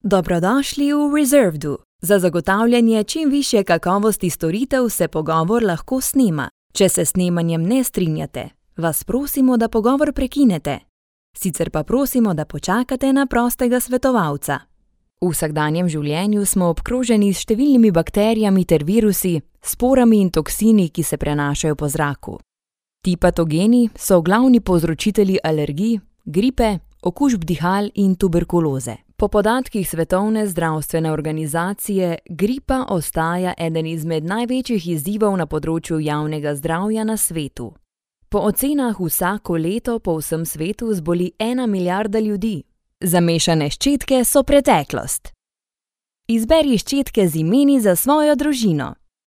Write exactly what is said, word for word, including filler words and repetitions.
Dobrodošli v Reservedu. Za zagotavljanje čim višje kakovosti storitev se pogovor lahko snema. Če se s snemanjem ne strinjate, vas prosimo, da pogovor prekinete. Sicer pa prosimo, da počakate na prostega svetovalca. V vsakdanjem življenju smo obkroženi s številnimi bakterijami ter virusi, sporami in toksini, ki se prenašajo po zraku. Ti patogeni so glavni povzročitelji alergij, gripe, okužb dihal in tuberkuloze. Po podatkih Svetovne zdravstvene organizacije, gripa ostaja eden izmed največjih izzivov na področju javnega zdravja na svetu. Po ocenah vsako leto po vsem svetu zboli ena milijarda ljudi. Zamešane ščetke so preteklost. Izberi ščetke z imeni za svojo družino.